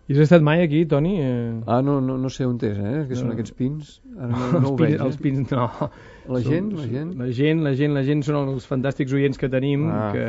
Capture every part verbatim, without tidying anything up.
I has estat mai aquí, Toni? Eh... Ah, no, no, no sé on és, eh? Que són no. aquests pins. Ara no, no els, ho pins, veig, eh? els pins, no. La gent, la gent? La gent, la gent, la gent són els fantàstics oients que tenim, ah. que,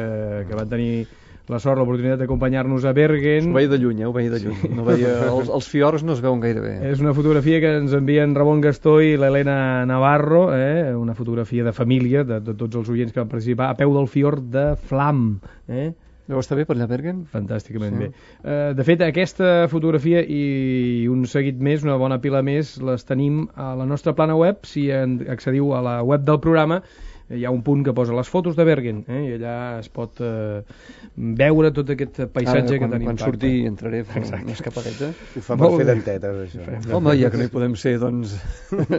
que van tenir la sort, l'oportunitat d'acompanyar-nos a Bergen. Ho veia de lluny, eh? Ho veia de lluny. Sí. No veia... els, els fiords no es veuen gaire bé. És una fotografia que ens envien Ramon Gastó i l'Helena Navarro, eh? Una fotografia de família de, de tots els oients que van participar a peu del fiord de Flam, eh? Deu estar bé per allà, Bergen? Fantàsticament sí. bé. Uh, de fet, aquesta fotografia i un seguit més, una bona pila més, les tenim a la nostra plana web. Si accediu a la web del programa, hi ha un punt que posa les fotos de Bergen, eh? I allà es pot uh, veure tot aquest paisatge Ara, quan, que tenim. Quan surti entraré a fer una escapadeta. Ho fa per fer dentetes, això. Home, ja que no hi podem ser, doncs...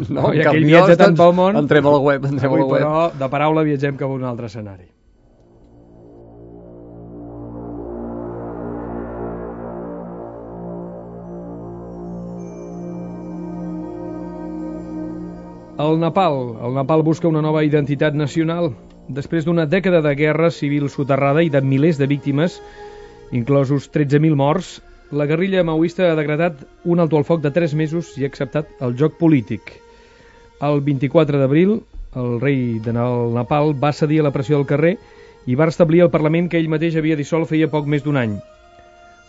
No, ja que ell viatja tant pel món... Entrem a la web, entrem avui, a la web. Però, de paraula, viatgem cap a un altre escenari. El Nepal. El Nepal busca una nova identitat nacional. Després d'una dècada de guerra civil soterrada i de milers de víctimes, inclosos tretze mil morts, la guerrilla maoista ha decretat un alto al foc de tres mesos i ha acceptat el joc polític. El vint-i-quatre d'abril, el rei de Nepal va cedir a la pressió del carrer i va restablir el Parlament que ell mateix havia dissolt feia poc més d'un any.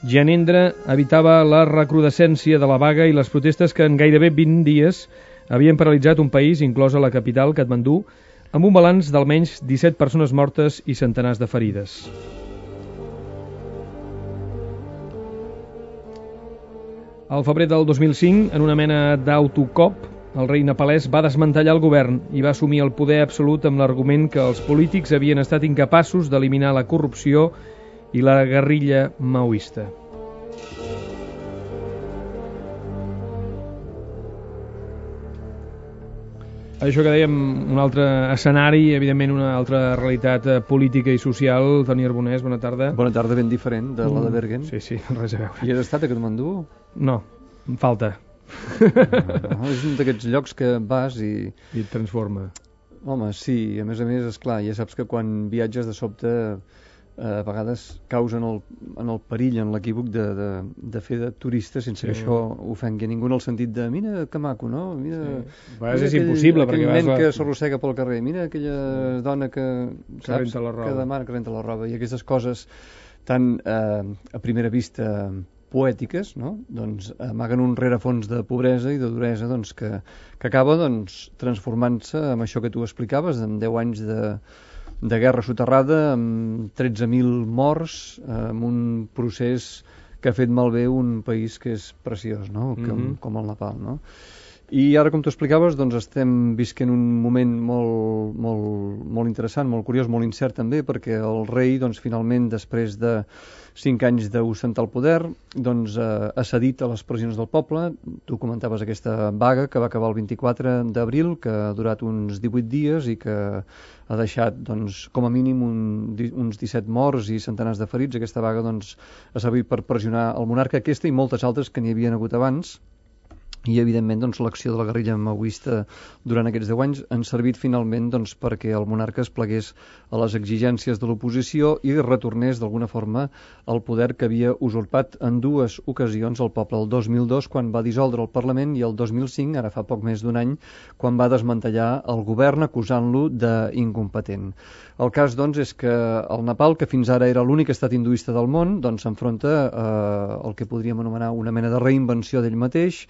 Gyanendra evitava la recrudescència de la vaga i les protestes que en gairebé vint dies havien paralitzat un país, inclosa la capital, Katmandú, amb un balanç d'almenys disset persones mortes i centenars de ferides. Al febrer del dos mil cinc, en una mena d'autocop, el rei nepalès va desmantellar el govern i va assumir el poder absolut amb l'argument que els polítics havien estat incapaços d'eliminar la corrupció i la guerrilla maoista. Això que dèiem, un altre escenari, evidentment una altra realitat política i social. Toni Arbonès, bona tarda. Bona tarda, ben diferent de la de Bergen. Sí, sí, res a veure. I has estat a Katmandú? No, em falta. No, és un d'aquests llocs que vas i... I et transforma. Home, sí, a més a més, esclar, ja saps que quan viatges de sobte a vegades causen el, en el perill, en l'equívoc de, de, de fer de turista sense sí. que això ofengui a ningú en el sentit de mira que maco, no? Mira, sí. mira és aquell, impossible aquell perquè nen vas... que s'arrossega pel carrer, mira aquella sí. dona que, que saps, renta la roba. que demana que renta la roba, i aquestes coses tan eh, a primera vista poètiques, no? Doncs amaguen un rerefons de pobresa i de duresa doncs, que, que acaba doncs, transformant-se amb això que tu explicaves, en deu anys de de guerra soterrada, amb tretze mil morts, amb un procés que ha fet malbé un país que és preciós, no? Com, mm-hmm. com el Nepal, no? I ara, com tu explicaves, doncs estem visquent un moment molt, molt, molt interessant, molt curiós, molt incert també, perquè el rei, doncs, finalment, després de cinc anys d'ostentar el poder, doncs, eh, ha cedit a les pressions del poble. Tu comentaves aquesta vaga que va acabar el vint-i-quatre d'abril, que ha durat uns divuit dies i que ha deixat, doncs, com a mínim un, uns disset morts i centenars de ferits. Aquesta vaga, doncs, ha servit per pressionar el monarca, aquesta i moltes altres que n'hi havien hagut abans. I, evidentment, doncs, l'acció de la guerrilla maoista durant aquests deu anys han servit finalment doncs, perquè el monarca es plegués a les exigències de l'oposició i retornés d'alguna forma al poder que havia usurpat en dues ocasions el poble, el dos mil dos quan va dissoldre el Parlament i el dos mil cinc, ara fa poc més d'un any, quan va desmantellar el govern acusant-lo d'incompetent. El cas, doncs, és que el Nepal, que fins ara era l'únic estat hinduista del món, doncs s'enfronta eh, al que podríem anomenar una mena de reinvenció d'ell mateix.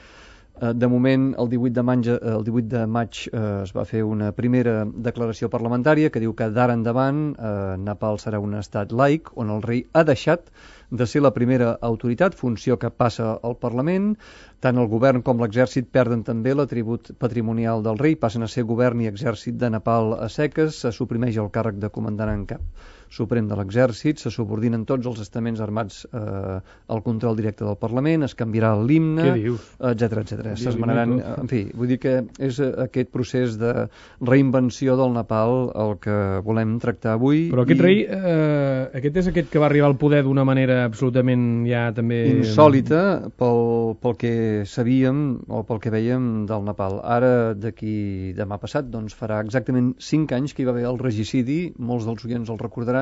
De moment, el divuit de maig, el divuit de maig eh, es va fer una primera declaració parlamentària que diu que d'ara endavant eh, Nepal serà un estat laic on el rei ha deixat de ser la primera autoritat, funció que passa al Parlament. Tant el govern com l'exèrcit perden també l'atribut patrimonial del rei, passen a ser govern i exèrcit de Nepal a seques, se suprimeix el càrrec de comandant en cap suprem de l'exèrcit, se subordinen tots els estaments armats eh, al control directe del Parlament, es canviarà l'himne, etcètera, etcètera. S'esmenaran, en fi, vull dir que és aquest procés de reinvenció del Nepal el que volem tractar avui. Però aquest i... rei, eh, aquest és aquest que va arribar al poder d'una manera absolutament ja també... insòlita pel, pel que sabíem o pel que veiem del Nepal. Ara, d'aquí demà passat, doncs farà exactament cinc anys que hi va haver el regicidi, molts dels oients el recordaran,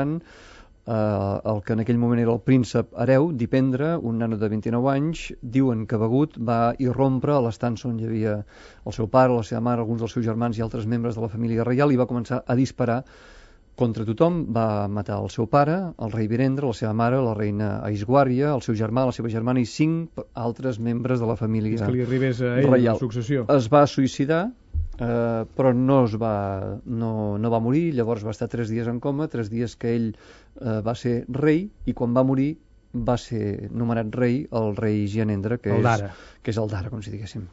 eh, el que en aquell moment era el príncep hereu, Dipendre, un nano de vint-i-nou anys, diuen que begut va irrompre a l'estança on hi havia el seu pare, la seva mare, alguns dels seus germans i altres membres de la família reial, i va començar a disparar contra tothom. Va matar el seu pare, el rei Virendra, la seva mare, la reina Aisguària, el seu germà, la seva germana i cinc altres membres de la família és que li arribés a ell reial. la successió. Es va suïcidar, eh, però no, es va, no, no va morir. Llavors va estar tres dies en coma, tres dies que ell eh, va ser rei, i quan va morir va ser nomenat rei el rei Gyanendra, que, el és, que és el d'ara, com si diguéssim.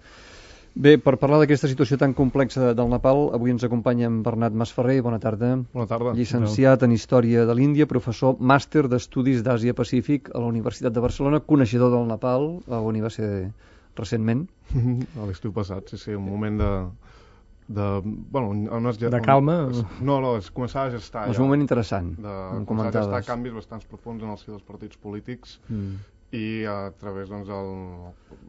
Bé, per parlar d'aquesta situació tan complexa del Nepal, avui ens acompanya en Bernat Masferrer. Bona tarda. Bona tarda. Llicenciat en Història de l'Índia, professor màster d'Estudis d'Àsia-Pacífic a la Universitat de Barcelona, coneixedor del Nepal, on hi va ser recentment. A l'estiu passat, sí, sí, un moment de... de, bueno, on es, de calma? On, es, no, no, es començava a gestar... És un moment interessant, de, em començava a gestar comentaves. canvis bastants profuns en el si dels partits polítics, Mm. i a través doncs,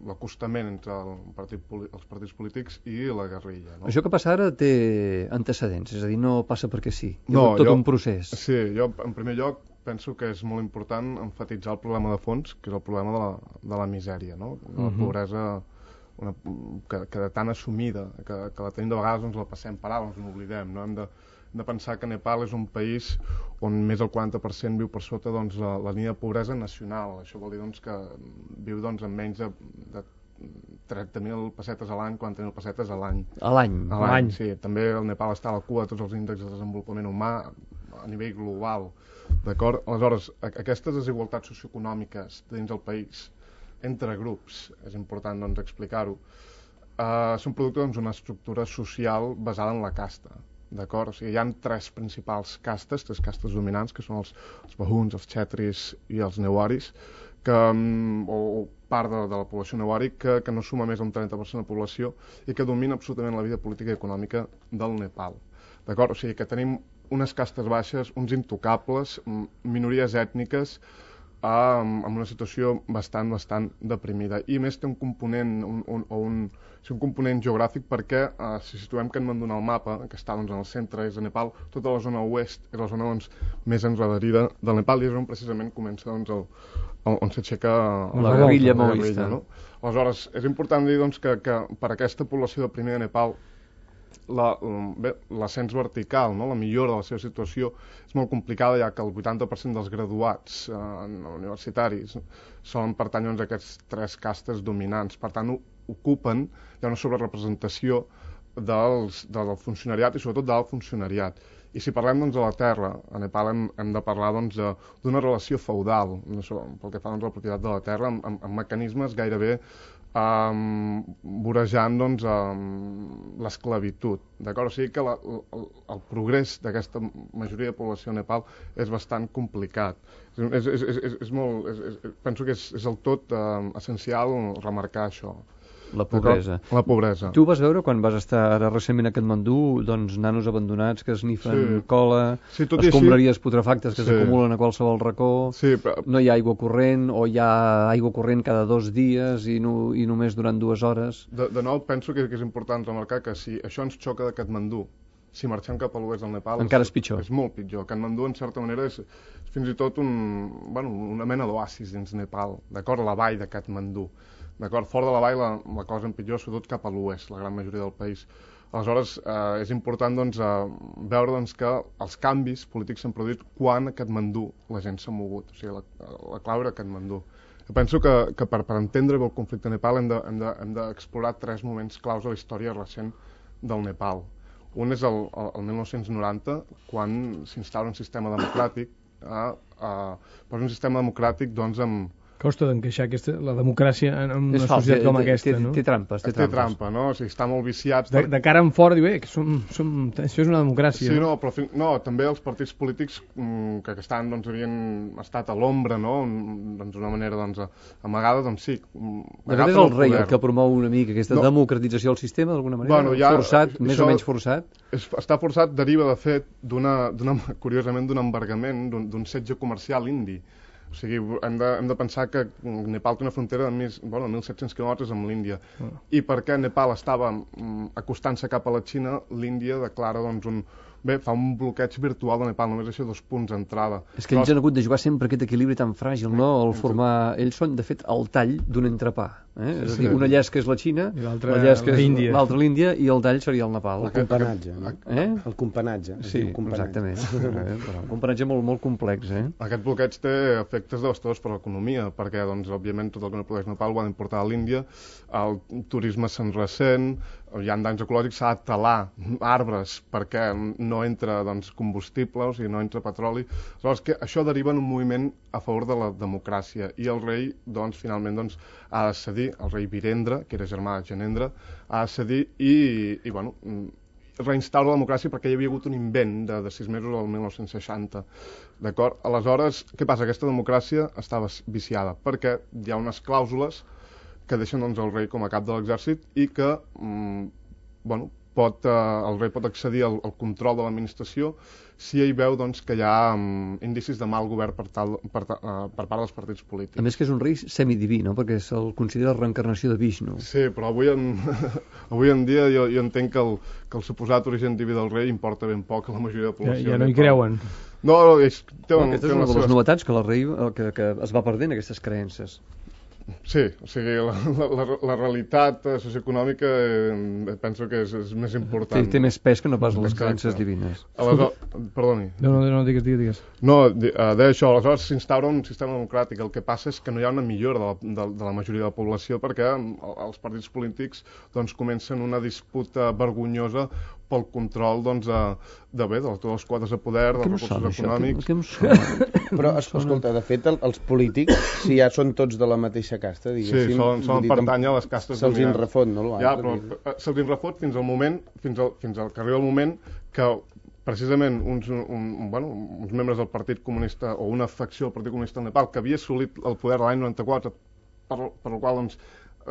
l'acostament entre el partit, els partits polítics i la guerrilla. No? Això que passa ara té antecedents, és a dir, no passa perquè sí. És no, tot jo, un procés. Sí, jo en primer lloc penso que és molt important emfatitzar el problema de fons, que és el problema de la, de la misèria, no? De la Uh-huh. pobresa una, que, que de tan assumida, que, que la tenim de vegades, doncs la passem per alt, ens n'oblidem, no? Hem de, hem de pensar que Nepal és un país on més del quaranta per cent viu per sota doncs, la, la línia de pobresa nacional. Això vol dir doncs, que viu doncs, amb menys de, de trenta mil pessetes a l'any, quaranta mil pessetes a l'any. A l'any? A l'any, sí. També el Nepal està a la cua de tots els índexs de desenvolupament humà a nivell global. D'acord? Aleshores, aquestes desigualtats socioeconòmiques dins del país, entre grups, és important doncs, explicar-ho, eh, són producte d'una doncs, estructura social basada en la casta. D'acord? O sigui, hi ha tres principals castes, tres castes dominants, que són els, els bahuns, els xetris i els newaris, que, o, o part de, de la població newari, que, que no suma més d'un trenta per cent de població i que domina absolutament la vida política i econòmica del Nepal. D'acord? O sigui, que tenim unes castes baixes, uns intocables, minories ètniques, amb una situació bastant, bastant deprimida. I més té un component, un, un, o un, sí, un component geogràfic perquè, eh, si situem Katmandú en el mapa, que està doncs, en el centre, és a Nepal, tota la zona oest és la zona doncs, més enrederida del Nepal i és on precisament comença doncs, el, el, on s'aixeca la guerrilla maoista. No? Aleshores, és important dir doncs, que, que per aquesta població de primer de Nepal l'ascens vertical, no? La millora de la seva situació és molt complicada, ja que el vuitanta per cent dels graduats eh, universitaris solen pertànyer doncs, a aquests tres castes dominants. Per tant, ocupen, hi ha una sobrerepresentació dels, del funcionariat i sobretot del funcionariat. I si parlem doncs, de la terra, a Nepal hem, hem de parlar doncs, d'una relació feudal, no sé, pel que fa doncs, a la propietat de la terra, amb, amb, amb mecanismes gairebé Um, vorejant doncs, um, l'esclavitud. D'acord? O sigui que la, el, el progrés d'aquesta majoria de població a Nepal és bastant complicat. És, és, és, és, és molt, és, és, penso que és, és el tot um, essencial remarcar això. La pobresa. La pobresa. Tu vas veure quan vas estar ara recentment a Katmandú, doncs nanos abandonats que esnifen sí. cola, sí, escombraries putrefactes que sí. s'acumulen a qualsevol racó, sí, però... no hi ha aigua corrent o hi ha aigua corrent cada dos dies i, no, i només durant dues hores. De, de nou, penso que, que és important remarcar que si això ens xoca de Katmandú, si marxem cap a l'oest del Nepal... Encara és pitjor. És molt pitjor. Katmandú, en certa manera, és, és fins i tot un, bueno, una mena d'oasis dins Nepal, d'acord? La vall de Katmandú. D'acord? Fora de la vall la, la cosa empitjor, sobretot cap a l'oest, la gran majoria del país. Aleshores, eh, és important doncs, eh, veure doncs, que els canvis polítics s'han produït quan a Katmandú la gent s'ha mogut. O sigui, la, la clau era Katmandú. Jo penso que, que per, per entendre bé el conflicte a Nepal hem d'explorar de, hem de, hem tres moments claus de la història recent del Nepal. Un és el, el, el mil nou-cents noranta, quan s'instal·la un sistema democràtic, eh, eh, però un sistema democràtic doncs, amb Costa d'encaixar aquesta, la democràcia en una és societat fals, com té, aquesta, té, no? Té trampes, té, té trampes. trampa, no? O sigui, està molt viciat. De, de cara en fora, diu, eh, que som, som, això és una democràcia. Sí, no, no, però no, també els partits polítics mm, que, que estan, doncs, havien estat a l'ombra, no? Doncs d'una manera, doncs, amagada, doncs sí. De fet és el rei el que promou una mica aquesta no. democratització del sistema, d'alguna manera? Bueno, ja, forçat, més o menys forçat? És, està forçat, deriva, de fet, d'una, curiosament, d'un embargament, d'un setge comercial indi. O sigui, hem de, hem de pensar que Nepal té una frontera de més, bueno, mil set-cents quilòmetres amb l'Índia. Mm. I perquè Nepal estava mm, acostant-se cap a la Xina, l'Índia declara doncs, un, bé, fa un bloqueig virtual de Nepal, només això dos punts d'entrada. És que ells han hagut de jugar sempre aquest equilibri tan fràgil, no? El formar... Ells són, de fet, el tall d'un entrepà. Eh? És a dir, una llesca és la Xina, l'altra l'Índia, l'altra l'Índia i el tall seria el Nepal. El companatge, no? Eh? El companatge. Sí, exactament. Eh? Però un companatge molt, molt complex, eh? Aquest bloqueig té efectes devastadors per a l'economia, perquè, doncs, òbviament, tot el que no produeix Nepal ho ha d'importar a l'Índia, el turisme se'n ressent, hi ha danys ecològics, s'ha de talar arbres perquè no entra, doncs, combustible, o sigui, no entra petroli. Aleshores, que això deriva en un moviment a favor de la democràcia, i el rei, doncs, finalment, doncs, ha de cedir, el rei Virendra, que era germà de Janendra, ha de cedir i, i bueno, reinstaura la democràcia perquè hi havia hagut un invent de, de sis mesos al mil nou-cents seixanta. D'acord? Aleshores, què passa? Aquesta democràcia estava viciada perquè hi ha unes clàusules que deixen, doncs, el rei com a cap de l'exèrcit i que mm, bueno, pot, eh, el rei pot accedir al, al control de l'administració si ell veu, doncs, que hi ha mm, indicis de mal govern per, tal, per, uh, per part dels partits polítics. A més que és un rei semidiví, no? Perquè se'l considera la reencarnació de Vishnu. Sí, però avui en, avui en dia jo, jo entenc que el, que el suposat origen diví del rei importa ben poc a la majoria de la població. Ja, ja no hi creuen. No, és, té un, aquesta té és una de les seves... novetats, que el rei que, que es va perdent aquestes creences. Sí, o sigui, la, la, la realitat socioeconòmica eh, penso que és, és més important. Té, té més pes que no pas les Exacte. creences divines. Aleshores, perdoni. No, no, no, digues, digues, digues. No, uh, deia això, aleshores s'instaura un sistema democràtic. El que passa és que no hi ha una millora de la, de, de la majoria de la població perquè els partits polítics, doncs, comencen una disputa vergonyosa pel control, doncs, de, de bé, de totes les quotes de poder, dels recursos sona, econòmics. Què, què em sona? Però, escolta, de fet, el, els polítics, si ja són tots de la mateixa casta, diguéssim... Sí, solen, solen pertànyer a les castes se'ls dominants. refot, no? Ja, però se'ls refot fins al moment, fins al, fins al que arriba el moment que precisament uns, un, bueno, uns membres del Partit Comunista o una facció del Partit Comunista del Nepal que havia assolit el poder l'any noranta-quatre, per, per el qual, doncs,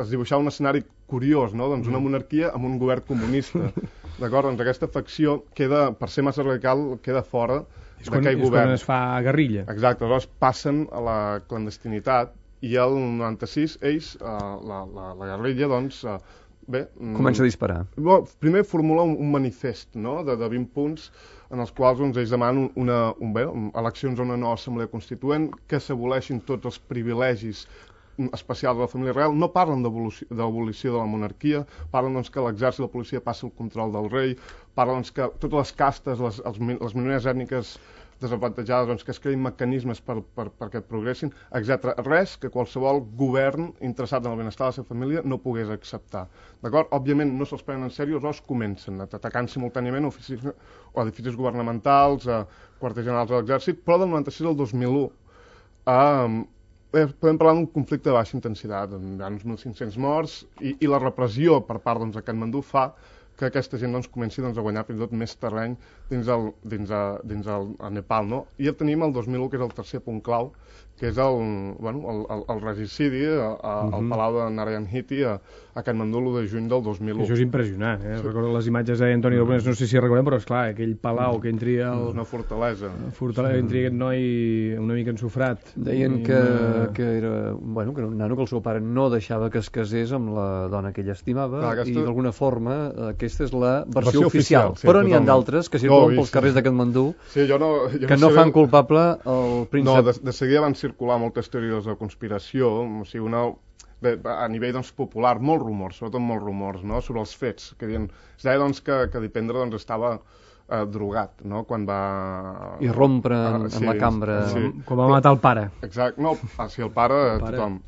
es dibuixava un escenari curiós, no? Doncs una monarquia amb un govern comunista. D'acord? Doncs aquesta facció queda, per ser massa radical, queda fora d'aquell govern. És quan es fa guerrilla. Exacte, aleshores passen a la clandestinitat i el noranta-sis ells, eh, la, la, la guerrilla, doncs, eh, bé... Comença a disparar. Bo, primer formula un, un manifest, no?, de, de vint punts en els quals, doncs, ells demanen una, un, bé, eleccions a una nova assemblea constituent, que s'aboleixin tots els privilegis especials de la família real. No parlen d'abolició de la monarquia, parlen, doncs, que l'exèrcit i la policia passi el control del rei, parlen, doncs, que totes les castes, les, els, les minories ètniques desavantatjades, doncs, que es creïn mecanismes per, per, perquè progressin, etcètera. Res que qualsevol govern interessat en el benestar de la seva família no pogués acceptar. D'acord? Òbviament no se'ls prenen en sèrio, els atacant atacant simultàniament oficis, o edificis governamentals, a quarters generals de l'exèrcit, però del noranta-sis al dos mil u eh, podem parlar d'un conflicte de baixa intensitat, hi ha uns mil cinc-cents morts, i, i la repressió per part, doncs, de Katmandú fa que aquesta gent, doncs, comenci, doncs, a guanyar fins i tot més terreny dins el, dins a, dins el, el Nepal, no? I ja tenim el dos mil u, que és el tercer punt clau, que és el, bueno, el, el, el regicidi a, a, uh -huh. al Palau de Narayan Hiti a, a Katmandú l'u de juny del dos mil u. Això és impressionant, eh? Sí. Recordo les imatges d'Antoni Dolbones, no sé si recordem, però esclar, aquell palau que entri el... Una fortalesa. Fortalesa, entri aquest noi una mica ensofrat. Deien que, una... que era, bueno, que era un nano que el seu pare no deixava que es casés amb la dona que ell estimava. Clar, aquesta... i d'alguna forma aquesta és la versió, versió oficial, oficial sí, però n'hi ha d'altres que circulen no, pels carrers de Katmandú sí, jo no, jo que no fan culpable el príncep. No, de, de seguida van circular moltes teories de conspiració, o sigui, una, bé, a nivell, doncs, popular, molts rumors, sobretot molts rumors, no?, sobre els fets, que diuen, es deia, doncs, que, que Dipendra, doncs, estava eh, drogat, no?, quan va... I rompre en, ah, sí, en la cambra... Sí. Com va matar el pare. Exacte, no, ah, sí, el pare, el pare. Tothom.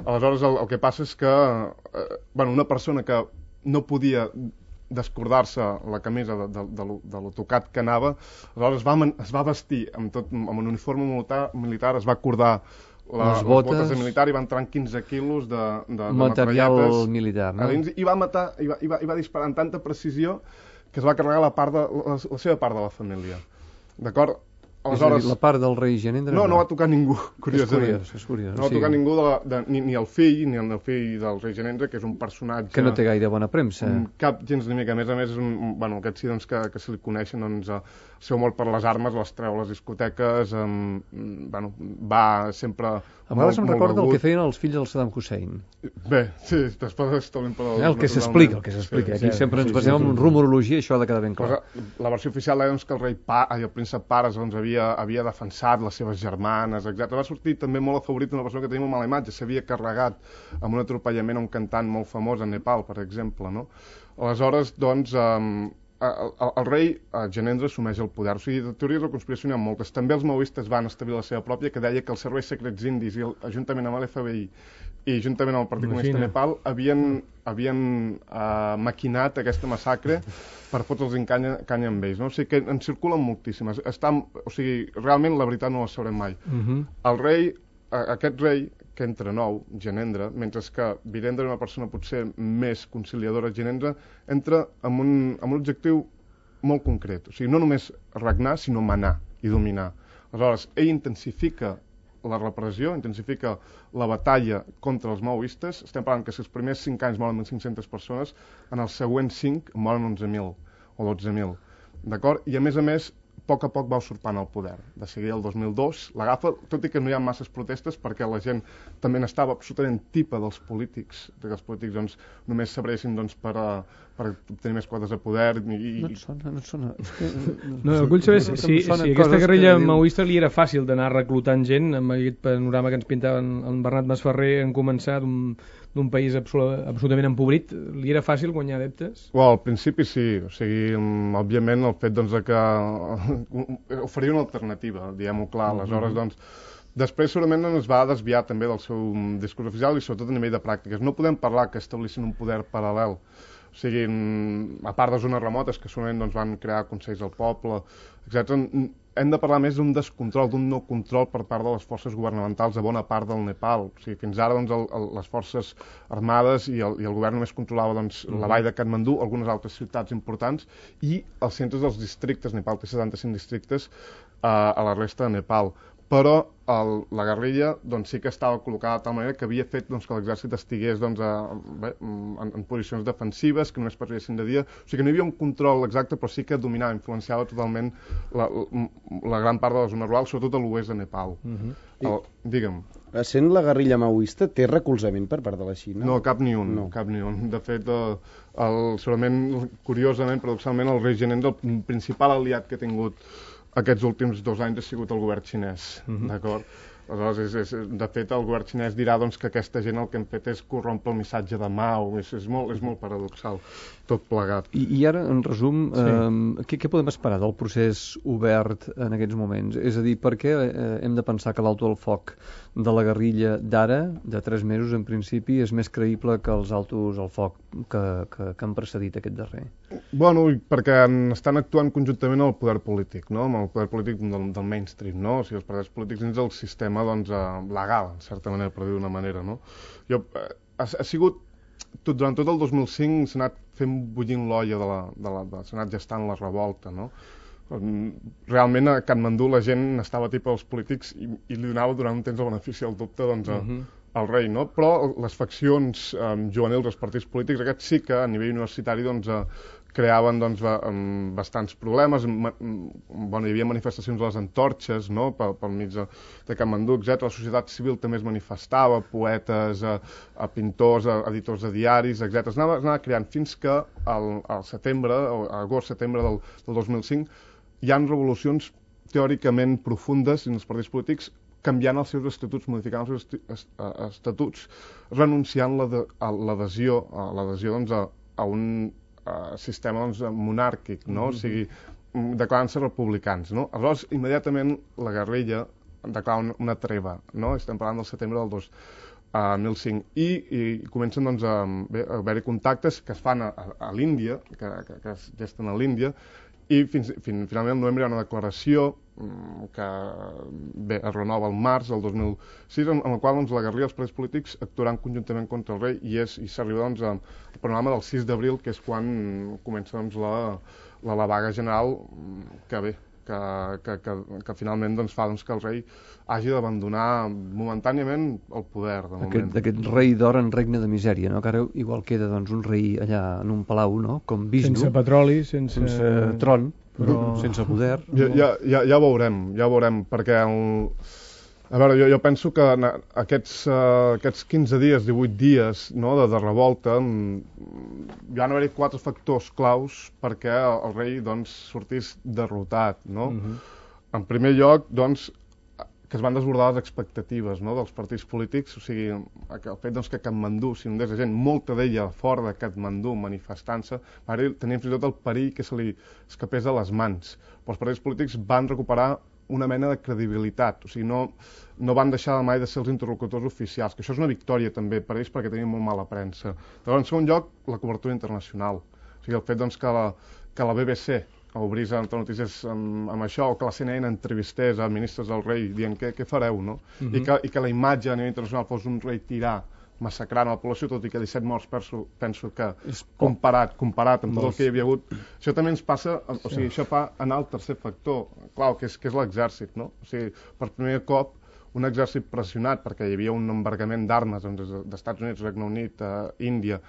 Aleshores, el, el que passa és que, eh, bueno, una persona que no podia descordar-se la camisa de, de, de, lo, de lo tocat que anava, aleshores es va, es va vestir amb, tot, amb un uniforme militar, militar es va acordar la, les, botes, les botes de militar i va entrar en quinze quilos de, de, de material militar, no? Dins, i va matar, i va, i, va, i va disparar amb tanta precisió que es va carregar la, part de, la, la seva part de la família. D'acord? aleshores... És a dir, la part del rei Genendre... No, no va tocar ningú, curiosament. És curiós, és curiós. No va tocar ningú, de la, de, ni, ni el fill, ni el fill del rei Genendre, que és un personatge... Que no té gaire bona premsa. Cap gens ni mica. A més a més, és un, bueno, aquest sí doncs, que, que se li coneixen, doncs, el seu amor per les armes, les treu a les discoteques, um, bueno, va sempre... A vegades em recorda begut. El que feien els fills del Saddam Hussein. Bé, sí, després estem per... El que s'explica, el que s'explica. Aquí sempre ens basem en rumorologia i això ha de quedar ben clar. La versió oficial deia doncs, que el rei pa, el príncep Pares doncs, havia, havia defensat les seves germanes, etcètera. Va sortir també molt afavorit una persona que tenia una mala imatge, s'havia carregat amb un atropellament a un cantant molt famós a Nepal, per exemple, no? Aleshores, doncs, um, el, el, el rei el Genendre assumeix el poder. O sigui, de teories de conspiració n'hi ha moltes. També els maoistes van establir la seva pròpia, que deia que els serveis secrets indis i el, juntament amb l'F B I i juntament amb el Partit Comunista de Nepal havien, havien uh, maquinat aquesta massacre per fotre'ls en canya, canya amb ells. No? O sigui que en circulen moltíssimes. Estan, o sigui, realment la veritat no la sabrem mai. Uh -huh. El rei, uh, aquest rei, que entra nou, Genendre, mentre que Virendra era una persona potser més conciliadora, Genendre entra amb un, amb un objectiu molt concret. O sigui, no només regnar, sinó manar i dominar. Aleshores, ell intensifica la repressió, intensifica la batalla contra els maoistes. Estem parlant que si els primers cinc anys moren mil cinc-centes persones, en els següents cinc moren onze mil o dotze mil. D'acord? I a més a més, a poc a poc va usurpant el poder. De seguida el dos mil dos l'agafa, tot i que no hi ha masses protestes perquè la gent també n'estava absolutament tipa dels polítics, que els polítics doncs, només s'abressin doncs, per, a, per tenir més quotes de poder. I... No et sona, no et sona. No, el vull saber si, si, si aquesta guerrilla maoista li era fàcil d'anar reclutant gent amb aquest panorama que ens pintava en Bernat Masferrer en començar d'un país absolutament empobrit. Li era fàcil guanyar adeptes? Well, al principi sí. O sigui, òbviament el fet doncs, que oferia una alternativa, diguem-ho clar. Aleshores, doncs, després segurament es va desviar també del seu discurs oficial i sobretot a nivell de pràctiques. No podem parlar que establissin un poder paral·lel. O sigui, a part de zones remotes que segurament doncs, van crear consells del poble, etcètera, hem de parlar més d'un descontrol, d'un no control per part de les forces governamentals de bona part del Nepal. O sigui, fins ara doncs, el, el, les forces armades i el, i el govern només controlava doncs, uh -huh. la vall de Katmandú, algunes altres ciutats importants i els centres dels districtes. Nepal té setanta-cinc districtes uh, a la resta de Nepal. Però el, la guerrilla doncs, sí que estava col·locada de tal manera que havia fet doncs, que l'exèrcit estigués doncs, a, bé, en, en posicions defensives, que només patrullessin de dia. O sigui que no hi havia un control exacte, però sí que dominava, influenciava totalment la, la, la gran part de la zona rural, sobretot a l'oest de Nepal. Uh -huh. el, digue'm. Sent la guerrilla maoista, té recolzament per part de la Xina? No, cap ni un. No. Cap ni un. De fet, el, el, segurament, curiosament, paradoxalment, el rei Genendre, el principal aliat que ha tingut aquests últims dos anys ha sigut el govern xinès, uh-huh. d'acord? Aleshores, és, és, de fet, el govern xinès dirà doncs, que aquesta gent el que han fet és corrompre el missatge de Mao. És, és, molt, és molt paradoxal, tot plegat. I, i ara, en resum, sí. eh, què, què podem esperar del procés obert en aquests moments? És a dir, per què eh, hem de pensar que l'alto al foc de la guerrilla d'ara, de tres mesos en principi, és més creïble que els altos al foc que, que, que han precedit aquest darrer? Bueno, perquè estan actuant conjuntament amb el poder polític, no? Amb el poder polític del, del mainstream, no? O sigui, els partits polítics dins del sistema doncs, eh, legal, en certa manera, per dir d'una manera, no? Jo, eh, ha, ha sigut, tot, durant tot el dos mil cinc s'ha anat fent bullint l'olla de la, de la, de, s'ha anat gestant la revolta, no? Realment a Katmandú la gent estava tipa dels polítics i, i li donava durant un temps el benefici del dubte doncs, a, uh-huh. al rei, no? Però les faccions um, juvenils dels partits polítics, aquests sí que a nivell universitari doncs, uh, creaven doncs, um, bastants problemes. Ma, bueno, hi havia manifestacions de les antorxes, no? pel, pel mig de, de Katmandú, etcètera. La societat civil també es manifestava, poetes, uh, uh, pintors, uh, editors de diaris, etcètera. Es anava, es anava creant fins que al, al setembre, o agost-setembre del, del dos mil cinc, hi ha revolucions teòricament profundes dins els partits polítics canviant els seus estatuts, modificant els seus estatuts, renunciant l'adhesió l'adhesió doncs, a, a un a, sistema doncs, monàrquic, no? Mm-hmm. O sigui, declarant-se republicans, no? Aleshores, immediatament la guerrilla declara una, una treva, no? Estem parlant del setembre del dos mil cinc i, i comencen doncs, a, bé, a haver-hi contactes que es fan a, a, a l'Índia, que, que, que es gesten a l'Índia, i fins, fins, finalment al novembre hi ha una declaració que bé, es renova el març del dos mil sis, en, en la qual doncs, la guerrilla i els partits polítics actuaran conjuntament contra el rei i, és, i s'arriba doncs, al panorama del sis d'abril, que és quan comença doncs, la, la, la vaga general, que bé, que, que, que, que finalment doncs, fa doncs, que el rei hagi d'abandonar momentàniament el poder. De moment. Aquest, aquest rei d'or en regne de misèria, no? Que ara igual queda doncs, un rei allà en un palau, no? Com Vishnu, sense petroli, sense, sense tron, però... sense poder. Ja, ja, ja, ja ho veurem, ja ho veurem, perquè el... a veure, jo, jo penso que aquests, uh, aquests quinze dies, divuit dies no, de, de revolta, hi ha d'haver quatre factors claus perquè el, el rei doncs, sortís derrotat. No? Uh-huh. En primer lloc, doncs, que es van desbordar les expectatives no, dels partits polítics, o sigui, el fet doncs, que Katmandú s'inundés de gent, molta d'ella fora de Katmandú manifestant-se, tenien fins i tot el perill que se li escapés de les mans. Però els partits polítics van recuperar una mena de credibilitat, o sigui, no, no van deixar mai de ser els interlocutors oficials, que això és una victòria també per ells perquè tenien molt mala premsa. Llavors, en segon lloc, la cobertura internacional, o sigui, el fet doncs, que, la, que la B B C obrís a notícies amb, amb això, o que la C N N entrevistés a ministres del rei dient què, què fareu, no? Uh-huh. I, que, I que la imatge a nivell internacional fos un rei tirà massacrant a la població, tot i que disset morts penso, penso que comparat, comparat amb tot el que hi havia hagut, això també ens passa, o sigui, això fa anar al tercer factor, clar, que és, que és l'exèrcit, no? O sigui, per primer cop, un exèrcit pressionat, perquè hi havia un embargament d'armes doncs, d'Estats Units, Regne Unit, eh, Índia,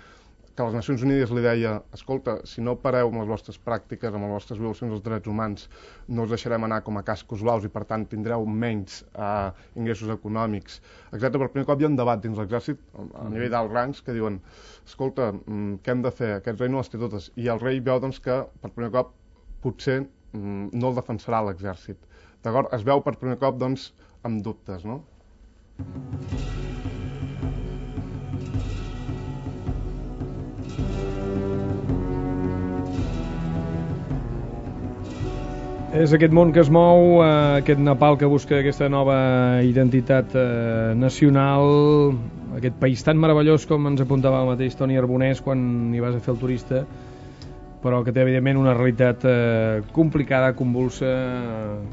que les Nacions Unides li deia, escolta, si no pareu amb les vostres pràctiques, amb les vostres violacions dels drets humans, no us deixarem anar com a cascos blaus i per tant tindreu menys eh, ingressos econòmics, etcètera. Per primer cop hi ha un debat dins l'exèrcit, a nivell d'alts rangs, que diuen, escolta, què hem de fer? Aquest rei no les té totes. I el rei veu doncs, que per primer cop potser no el defensarà l'exèrcit. D'acord? Es veu per primer cop doncs, amb dubtes, no? És aquest món que es mou, eh, aquest Nepal que busca aquesta nova identitat eh, nacional, aquest país tan meravellós com ens apuntava el mateix Toni Arbonès quan hi vas a fer el turista, però que té evidentment una realitat eh, complicada, convulsa,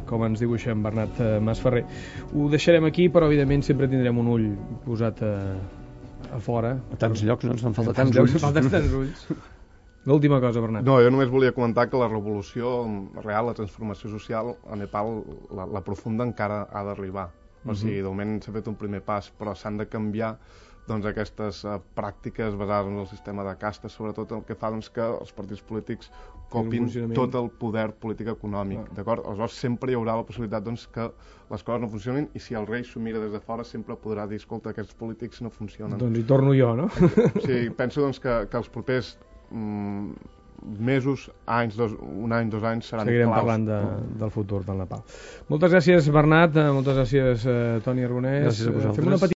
com ens dibuixa en Bernat eh, Masferrer. Ho deixarem aquí, però evidentment sempre tindrem un ull posat a, a fora. A tants llocs, no? Ens fan falta tants llocs, ulls. falten tants ulls. L'última cosa, Bernat. No, jo només volia comentar que la revolució real, la transformació social a Nepal, la, la profunda encara ha d'arribar. O sigui, de moment s'ha fet un primer pas, però s'han de canviar doncs, aquestes uh, pràctiques basades en el sistema de castes, sobretot el que fa doncs, que els partits polítics copin tot el poder polític econòmic. Ah. D'acord? Aleshores, sempre hi haurà la possibilitat doncs, que les coses no funcionin i si el rei s'ho mira des de fora sempre podrà dir, escolta, aquests polítics no funcionen. Doncs hi torno jo, no? O sigui, penso doncs, que, que els propers mesos, anys, dos, un any, dos anys seran Seguirem claus. parlant de, del futur del Nepal. Moltes gràcies, Bernat, moltes gràcies, eh, Toni Arbonès. Gràcies a vosaltres. Fem una petita